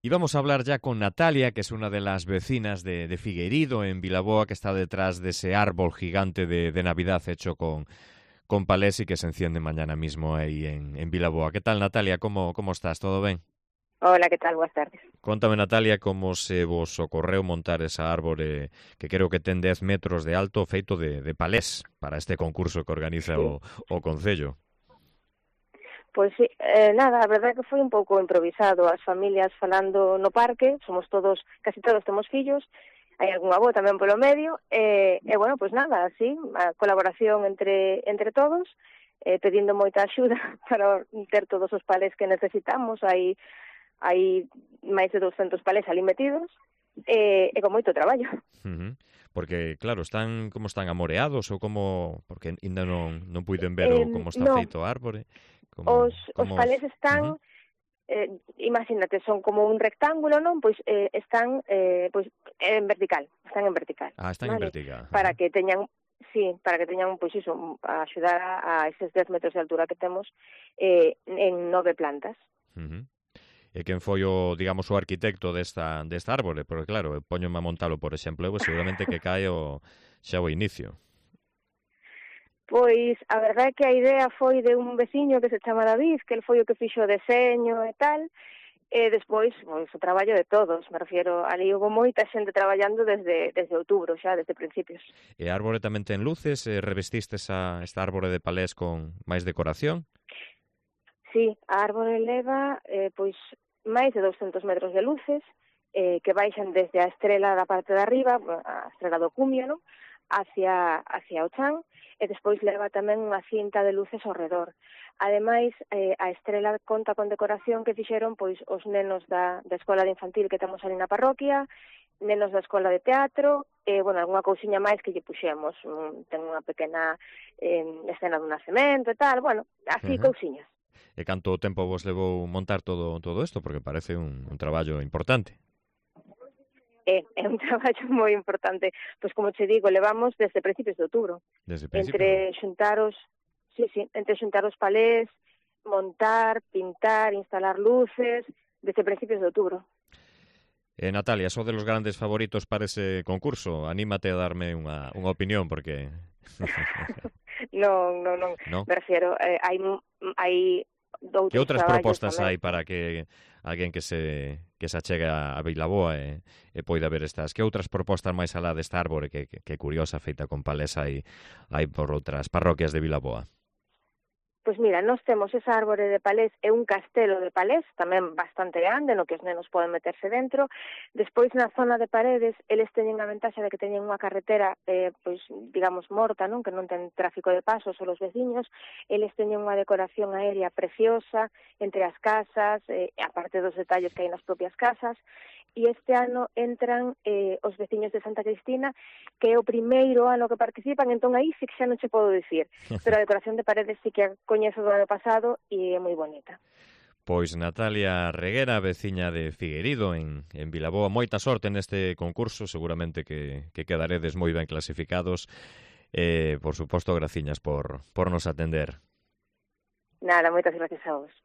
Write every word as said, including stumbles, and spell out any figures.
Y vamos a hablar ya con Natalia, que es una de las vecinas de, de Figueirido, en Vilaboa, que está detrás de ese árbol gigante de, de Navidad hecho con, con palés y que se enciende mañana mismo ahí en, en Vilaboa. ¿Qué tal, Natalia? ¿Cómo, cómo estás? ¿Todo bien? Hola, ¿qué tal? Buenas tardes. Contame, Natalia, como se vos ocorreu montar esa árbore que creo que ten dez metros de alto feito de, de palés para este concurso que organiza Sí, o, o Concello. pois sí, eh, nada, a verdade é que foi un pouco improvisado, as familias falando no parque, somos todos, casi todos temos fillos, hai algún avó tamén polo medio, e, e bueno, pois nada, así, a colaboración entre entre todos, eh, pedindo moita axuda para ter todos os palés que necesitamos, hai hai máis de doscientos palés ali metidos, e, e con moito traballo. Uh -huh. Porque, claro, están como están amoreados ou como... Porque ainda non, non puiden ver o Eh, como está no, feito a árbore. os, Como, os como... palés Uh -huh. están... Eh, imagínate, son como un rectángulo, non? Pois eh, están eh, pois en vertical, están en vertical, Ah, están en vale? vertical. Uh Para -huh. que teñan, sí, para que teñan, pois iso, a axudar a, a eses dez metros de altura que temos eh, en nove plantas. Uh -huh. E quen foi o, digamos, o arquitecto desta, desta árbore? Porque, claro, poñome a montalo, por exemplo, eu seguramente que cae o, xa o inicio. Pois a verdade é que a idea foi de un veciño que se chama David, que el foi o que fixo o deseño e tal, e despois, pois, o traballo de todos, me refiero, ali houve moita xente traballando desde, desde outubro xa, desde principios. E a árbore tamén ten luces? E revestistes a esta árbore de palés con máis decoración? Sí, a árbore leva, eh, pois, máis de doscientos metros de luces, eh, que baixan desde a estrela da parte de arriba, a estrela do cumio, non? hacia, hacia o chan, e despois leva tamén unha cinta de luces ao redor. Ademais, eh, a estrela conta con decoración que fixeron pois os nenos da, da escola de infantil que temos ali na parroquia, nenos da escola de teatro, e, bueno, algunha cousiña máis que lle puxemos. Un, ten unha pequena eh, escena dun nacemento e tal, bueno, así Uh -huh. cousiñas. E canto tempo vos levou montar todo todo isto? Porque parece un, un traballo importante. É, é un traballo moi importante. Pois, como che digo, levamos desde principios de outubro. Desde principios do... Entre xuntar os, sí, sí, entre xuntar os palés, montar, pintar, instalar luces, desde principios de outubro. Eh, Natalia, só de los grandes favoritos para ese concurso. Anímate a darme unha, unha opinión, porque... non, non, non. ¿No? Me refiero, eh, hai, hai Que outros outras traballos propostas tamén. hai para que alguén que se que se achegue a Vilaboa e, e poida ver estas? Que outras propostas máis alá desta árbore que, que, que curiosa feita con palés hai, hai por outras parroquias de Vilaboa? Pois mira, nós temos esa árbore de palés e un castelo de palés, tamén bastante grande, no que os nenos poden meterse dentro. Despois, na zona de Paredes, eles teñen a ventaxa de que teñen unha carretera, eh, pois, digamos, morta, non? Que non ten tráfico de pasos, só os veciños. Eles teñen unha decoración aérea preciosa entre as casas, eh, aparte dos detalles que hai nas propias casas. E este ano entran eh, os veciños de Santa Cristina, que é o primeiro ano que participan, entón aí sí que xa non che podo dicir, pero a decoración de Paredes sí que a coñezo do ano pasado e é moi bonita. Pois Natalia Reguera, veciña de Figueirido, en, en Vilaboa, moita sorte neste concurso, seguramente que, que quedaredes moi ben clasificados, e, por suposto, graciñas por, por nos atender. Nada, moitas gracias a vos.